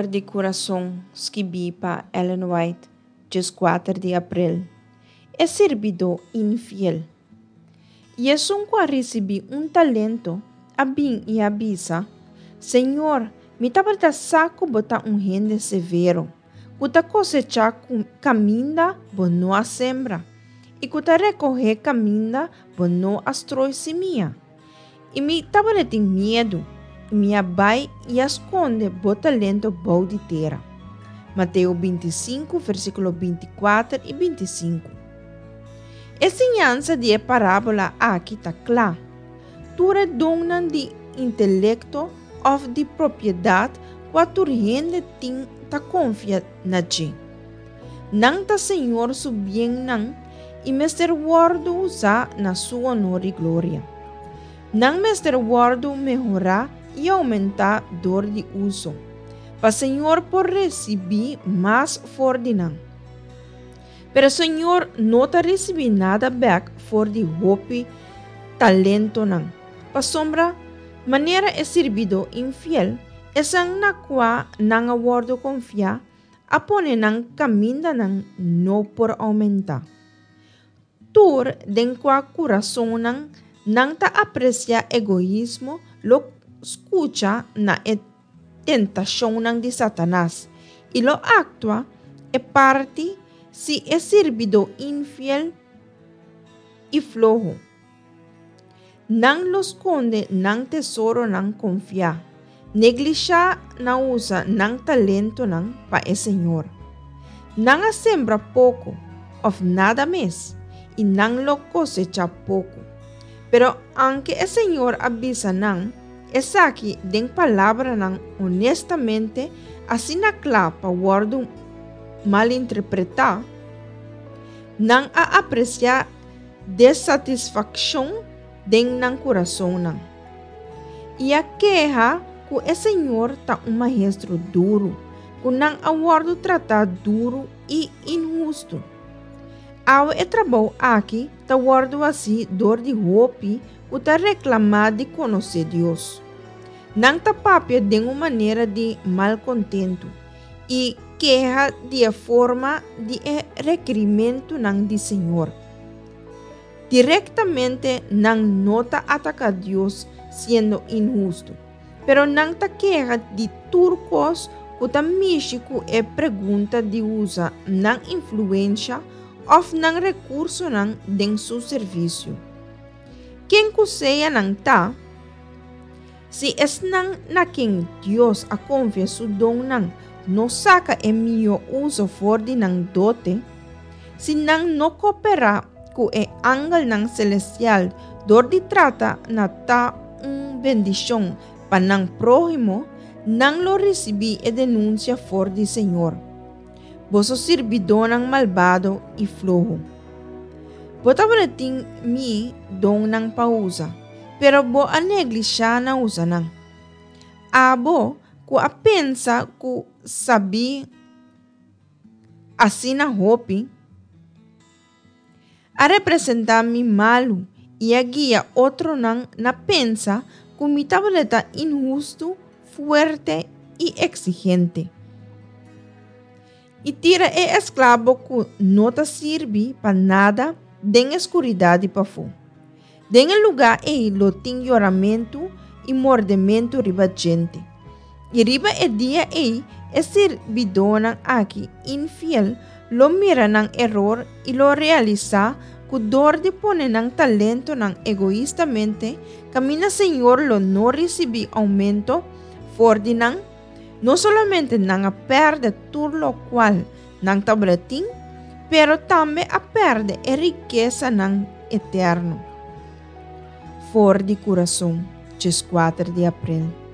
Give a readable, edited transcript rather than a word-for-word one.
For di Kurason skibí pa Ellen White, 14 di aprel. E sirbidó infiel. I esun ku a risibí un talento a bin i a bisa, Señor, mi tabata sa ku bo ta un hende severo, ku ta kosechá kaminda bo no a sembra, i ku ta rekohé kaminda bo no a stroi simia. I mi tabatin miedu, i mi a bai i a skonde bo talento bou di tera. Mateo 25, versíkulo 24 i 25. E siñansa di e parábola aki ta kla. Tur e donnan di intelekto òf di propiedat kua tur hende tin ta konfia na dje. Nan ta Señor su biennan i mester wòrdu usá na su honor i gloria. Nan mester wòrdu mehorá i oumentá dor di uso, pa Señor por risibí mas for di nan. Pero Señor no ta risibí nada bèk for di hopi talentonan, pasobra manera e sirbidó infiel, esnan na kua nan a wòrdu konfiá, a pone nan kamindanan no por oumentá. Tur den kua kurasonnan nan ta apresiá egoismo lo skucha na e tentashonnan di Satanas i lo aktua e parti si e sirbidó infiel i floho. Nan lo skonde nan tesoronan konfiá, neglishá na usa nan talentonan pa e Señor. Nan a sembra poko òf nada mes, i nan lo kosechá poko. Pero anke e Señor a bisa nan esaki den palabranan honestamente asina kla pa wòrdu malinterpretá, nan a apresiá desatisfakshon den nan kurasonnan, i a keha ku e Señor ta un maestro duru, ku nan a wòrdu tratá duru i inhustu. Awe e trabou aki ta wòrdu hasí dor di hopi ku ta reklamá di konosé Dios. Nan ta papia den un manera di malkontentu i keha di e forma di e rekirimentunan di Señor. Direktamente nan no ta ataká Dios siendo inhustu, pero nan ta keha di tur kos ku ta mishi ku e pregunta di usa nan influensha òf nan rekursonan den su servisio. Ken ku sea nan ta, si esnan na ken Dios a konfia su donnan no saka e mihó uso for di nan dote, si nan no koperá ku e angelnan selestial dor di trata na ta un bendishon pa nan próhimo, nan lo risibí e denunsia for di Señor, Boso sirbidónan malbado i floho. Bo tabata tin mi donnan pa usa, pero bo a neglishá na usa nan. Abo ku a pensa ku sabí asina hopi, a representá mi malu i a guia otronan na pensa ku mi tabata inhustu, fuerte i eksigente. I tira e esklabo ku no ta sirbi pa nada den e skuridat di pafó. Den e lugá ei lo tin yoramentu i mordementu riba djente. I riba e dia ei e sirbidónan aki infiel lo mira nan eror i lo realisá ku dor di pone nan talentonan egoistamente kaminda Señor lo no risibí oumento for di nan, no solamente nan a pèrdè tur lokual nan tabata tin, pero tambe a pèrdè e rikesanan eterno. For di kurason, 14 di aprel.